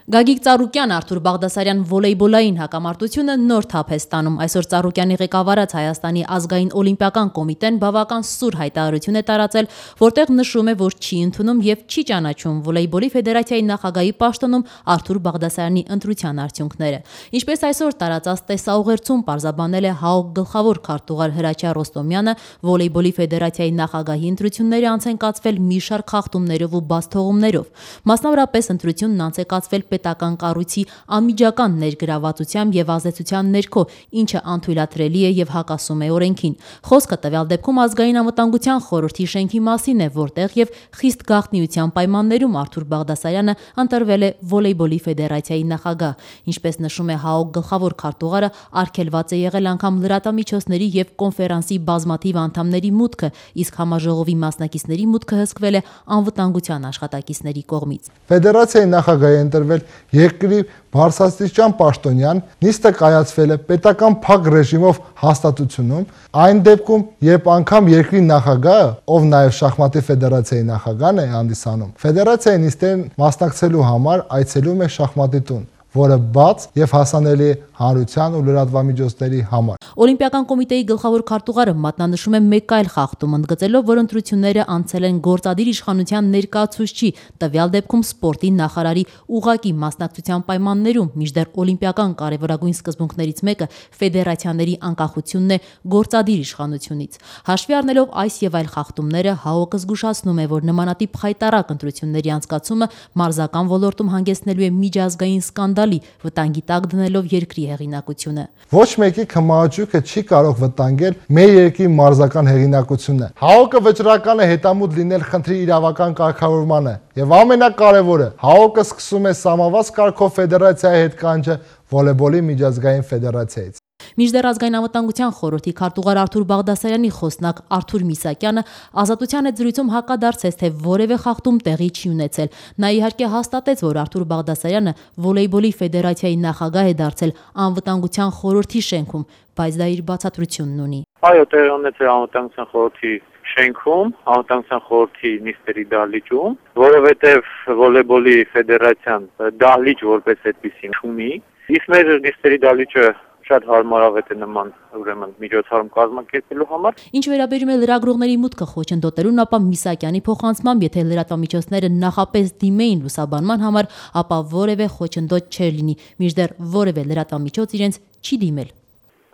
Գագիկ Ծառուկյան, Արթուր Բաղդասարյան վոլեյբոլային հակամարտությունը նոր թափ է ստանում։ Այսօր Ծառուկյանի ղեկավարած Հայաստանի ազգային օլիմպիական կոմիտեն բավական սուր հայտարարություն է տարածել, որտեղ նշում է, որ չի ընդունում եւ չի ճանաչում վոլեյբոլի ֆեդերացիայի նախագահի պաշտոնում Արթուր Բաղդասարյանի ընտրության արդյունքները։ Ինչպես այսօր տարածած տեսաուղերձում պարզաբանել է ՀԱՕԿ գլխավոր քարտուղար Հրաչյա Ռոստոմյանը, վոլեյբոլի ֆեդերացիայի նախագահի ընտրությունները անց են կացվել մի շարք խախտումներով ու բացթողումներով։ Մասնավորապես ընտրությունն անց է կացվել պետական կառույցի անմիջական ներգրավվածությամբ եւ ազդեցության ներքո, ինչը անթույլատրելի է եւ հակասում է օրենքին։ Խոսքը տվյալ դեպքում ազգային անվտանգության խորհրդի շենքի մասին է, որտեղ եւ խիստ գաղտնիության պայմաններում Արթուր Բաղդասարյանը ընտրվել է վոլեյբոլի ֆեդերացիայի նախագահ։ Ինչպես նշում է ՀԱՕԿ գլխավոր քարտուղարը, արգելված է եղել անգամ լրատվամիջոցների եւ կոնֆերանսի բազմաթիվ անդամների մուտքը, իսկ համաժողովի մասնակիցների մուտքը հսկվել է անվտանգության աշխատակիցների կողմից։ Ֆեդերացիայի նախագահի ընտրվել երկրի բարձրաստիճան պաշտոնյան, նիստը կայացվել է պետական փակ ռեժիմով հաստատությունում, այն դեպքում, երբ անգամ երկրի նախագահը, ով նաև շախմատի ֆեդերացիայի նախագահն է հանդիսանում, ֆեդերացիայի նիստերին մասնակցելու համար այցելում է շախմատի տուն, որը բաց եւ հասանելի է հանրության ու լրատվամիջոցների համար։ Օլիմպիական կոմիտեի գլխավոր քարտուղարը մատնանշում է մեկ այլ խախտում, ընդգծելով, որ ընտրությունները անցել են գործադիր իշխանության ներկայացուցչի, տվյալ դեպքում սպորտի նախարարի ուղղակի մասնակցության պայմաններում, մինչդեռ օլիմպիական կարևորագույն սկզբունքներից մեկը ֆեդերացիաների անկախությունն է գործադիր իշխանությունից։ Հաշվի առնելով այս եւ այլ խախտումները, ՀԱՕԿ-ը զգուշացնում է, որ նմանատիպ խայտառակ ընտրությունների անցկացումը մարզական ոլորտում հանգեցնելու է միջազգային սկանդալի, վտանգի տակ դնելով երկրի հեղինակությունը։ Ոչ մեկի քմահաճույքը չի կարող վտանգել մեր երկրի մարզական հեղինակությունը։ ՀԱՕԿ-ը վճռական է հետամուտ լինել խնդրի իրավական կարգավորմանը եւ ամենակարևորը, ՀԱՕԿ-ը սկսում է սահմանված կարգով ֆեդերացիայի հետ կանչը վոլեյբոլի միջազգային ֆեդերացիայից։ Մինչդեռ ազգային անվտանգության խորհրդի քարտուղար Արթուր Բաղդասարյանի խոսնակ Արթուր Միսակյանը ազատության հետ զրույցում հակադարձեց, թե որևէ խախտում տեղի չի ունեցել։ Նա իհարկե հաստատեց, որ Արթուր Բաղդասարյանը վոլեյբոլի ֆեդերացիայի նախագահ է դարձել անվտանգության խորհրդի շենքում, բայց դա իր բացատրությունն ունի։ Այո, տեղի ունեցել անվտանգության խորհրդի շենքում, անվտանգության խորհրդի նիստերի դահլիճում, որովհետև վոլեյբոլի ֆեդերացիան դահլիճ որպես այդպիսին չունի, իսկ մեր նիստերի դահլիճը շատ հարմարավետ է նման ուրեմն միջոցառում կազմակերպելու համար։ Ինչ վերաբերում է լրագրողների մուտքը խոչընդոտելուն, ապա Միսակյանի փոխանցմամբ, եթե լրատվամիջոցները նախապես դիմեին լուսաբանման համար, ապա որևէ խոչընդոտ չէր լինի, մինչդեռ որևէ լրատվամիջոց իրենց չի դիմել։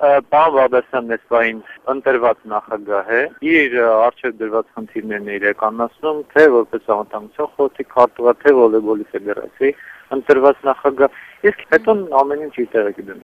Պարոն Բաղդասարյանն այսպայն ընտրված նախագահ է, իր առջև դրված խնդիրներն է իրականացնում, թե որպես անվտանգության խորհրդի քարտուղար, թե վոլեյբոլի ֆեդերացիայի ընտրված նախագահ, իսկ հետո ամեն ինչ իր տեղը կդնի։